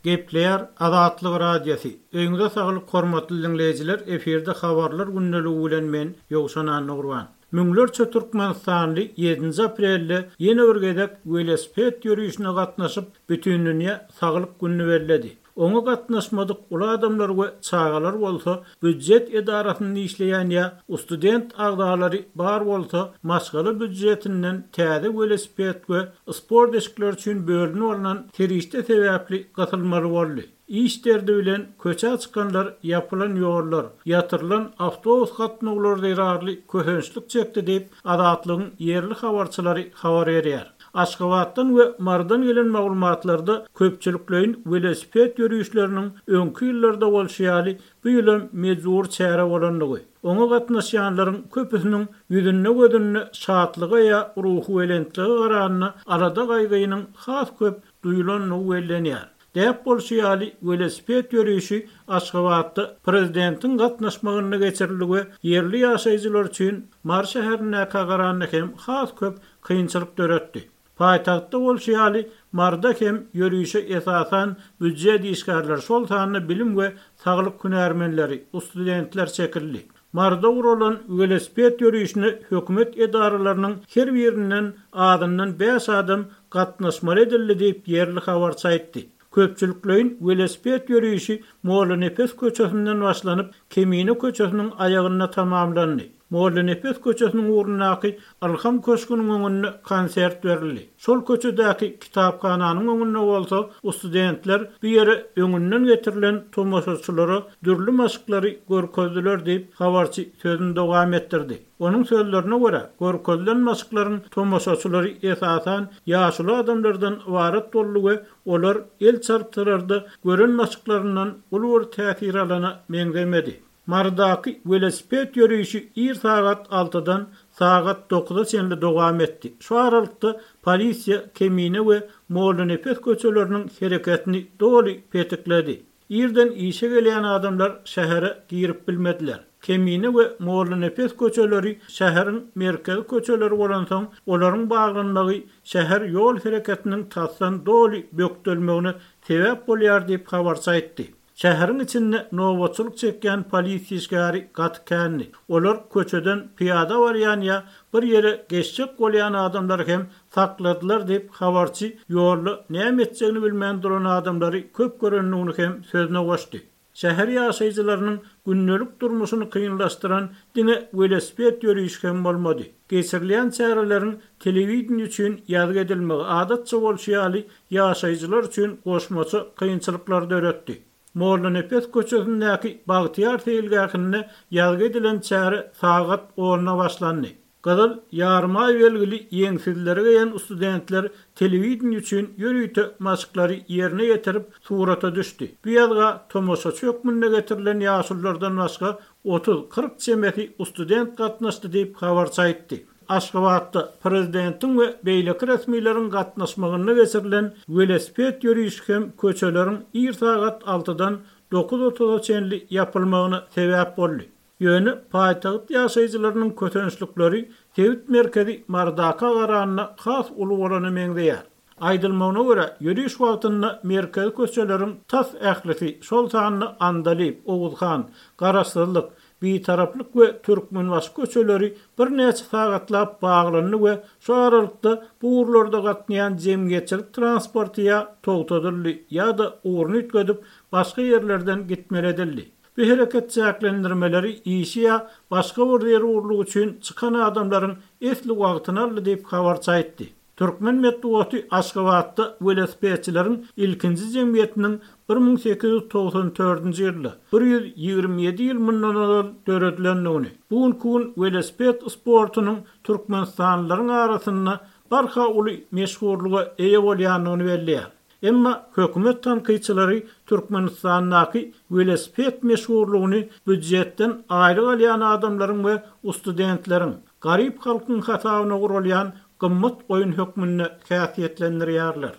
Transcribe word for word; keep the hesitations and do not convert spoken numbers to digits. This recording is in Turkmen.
Gepleýär Azatlyk Radiosy. Öýüňize saglyk hormatly dinleýjiler, efirde habarlar gündeligi bilen men Ýowşan Annagurban. Müňlerçe Türkmenistanly ýedinji aprelde ýene bir gezek welosiped ýörüşine gatnaşyp, bütün dünýä saglyk gününi belledi. Oňa gatnaşmadyk uly adamlar we çagalar bolsa, býujet edarasynda işleýän ýa student agzalary bar bolsa, maşgala býujetinden täze welosiped we sport eşikleri üçin bölünip alynan serişde sebäpli gysylmaly boldy. Iş derdi bilen köçä çykanlar ýapylan ýollar, ýatyrylan awtobus gatnawlary zerarly kösençlik çekdi diýip, Azatlygyň ýerli habarçylary habar berýär. Aşgabatdan we Marydan gelen maglumatlarda köpçülikleýin welosiped ýörüşleriniň öňki ýyllarda bolşy ýaly bu ýylam mejbur çäre bolandygy, oňa gatnaşýanlaryň köpüsiniň ýüzünde gözünde şatlyga ýa ruhy belentlige garanda alada gaýgynyň has köp duýulandygy bellenýär. Däp bolşy ýaly welosiped ýörüşi Aşgabatda prezidentiň gatnaşmagynda geçirildi we ýerli ýaşaýjylar üçin Mary şäherindäki garanda hem has köp kynçylyk döretdi. Paýtagtda bolşy ýaly Maryda hem ýörüşe esasan býujet işgärleri, şol sanda bilim we saglyk hünärmenleri, studentler çekildi. Maryda guralan welosiped ýörüşine hökümet edaralarynyň her birinden azyndan bäş adam gatnaşmaly edildi diýip ýerli habarçy aýtdy. Köpçülikleýin welosiped ýörüşi Mollanepes köçesinden başlanyp, Kemine köçesiniň aýagynda tamamlandy. Mollanepes köçesiniň ugrundaky Ilham köşgüniň öňünde konsert berildi. Şol köçedäki kitaphananyň öňünde bolsa studentler bu ýere öňünden getirilen tomaşaçylara dürli maşklary görkezdiler diýip habarçy sözüni dowam etdirdi. Onuň sözlerine görä, görkezilen maşklaryň tomaşaçylary esasan ýaşuly adamlardan ybarat boldy we olar el çarpdylarda gören maşklaryndan uly bir täsir alana meňzemedi. Marydaky welosiped ýörüşi ir sagat altydan sagat dokuza çenli dowam etdi. Şu aralykda polisiýa Kemine we Mollanepes köçeleriniň hereketini doly petikledi. Irden işe gelýän adamlar şähere girip bilmediler. Kemine we Mollanepes köçeleri şäheriň merkezi köçeleri bolansoň, olaryň baglanmagy şäher ýol hereketiniň tasdan doly bökdelmegine sebäp bolýar diýip habarçy aýtdy. Şäheriň içinde nobatçylyk çekýän polisiýa işgäri gaty kändi. Olar köçeden pyýada barýan ýa bir ýere geçjek bolýan adamlar hem sakladylar diýip habarçy ýolda näme etjegini bilmän duran adamlary köp görendigini hem sözüne goşdy. Şäher ýaşaýjylarynyň gündelik durmuşyny kynlaşdyran diňe welosiped ýörüşi hem bolmady. Geçirilýän çäreleriň telewideniýe üçin ýazgy edilmegi adatça bolşy ýaly ýaşaýjylar üçin goşmaça kynçylyklar döretdi. Mollanepes köçesindäki Bagtyýar seýilgähinde ýazgy edilen çäre sagat onda başlandy. Gyzyl ýarymaý belgili ýeňsizlere geýen studentler telewideniýe üçin ýörite maşklary ýerine ýetirip surata düşdi. Bu ýazga tomaşaçy hökmünde getirilen ýaşululardan başga otuz kyrk çemesi student gatnaşdy diýip habarçy aýtdy. Aşgabatda prezidentiň we beýleki resmileriň gatnaşmagynda geçirilen welosiped ýörüşi hem köçeleriň ir sagat altydan dokuz otuza çenli ýapylmagyna sebäp boldy. Ýöne paýtagt ýaşaýjylarynyň kösençlikleri sebit merkezi Marydaky garanda has uly bolany meňzeýär. Aýdylmagyna görä, ýörüş wagtynda merkezi köçeleriň tas ählisi, şol sanda Andalyp, Oguzhan, Garaşsyzlyk, Bitaraplyk we Türkmenbaşy köçeleri birnäçe sagatlap baglandy we şu aralykda bu ugurlarda gatnaýan jemgyýetçilik transporty ýa togtadyldy ýa-da ugruny üýtgedip başga ýerlerden gitmeli edildi. Bu hereket çäklendirmeleri işi ýa başga bir zerurlyk üçin çykan adamlaryň esli wagtyny aldy diýip habarçy aýtdy. Türkmen metbugaty Aşgabatda welosipedçileriň ilkinji jemgyýetiniň bir müň sekiz ýüz togsan dördünji ýylda bir ýüz ýigrimi ýedi ýyl mundan ozal döredilendigini, bu günki gün welosiped sportunyň Türkmenistanlylaryň arasynda barha uly meşhurlyga eýe bolýandygyny belleýär. Emma hökümet tankytçylary Türkmenistandaky welosiped meşhurlygyny býujetden aýlyk alýan adamlaryň we studentleriň, garyp halkyň hasabyna gurulýan gymmat oýun hökmünde häsiýetlendirýärler.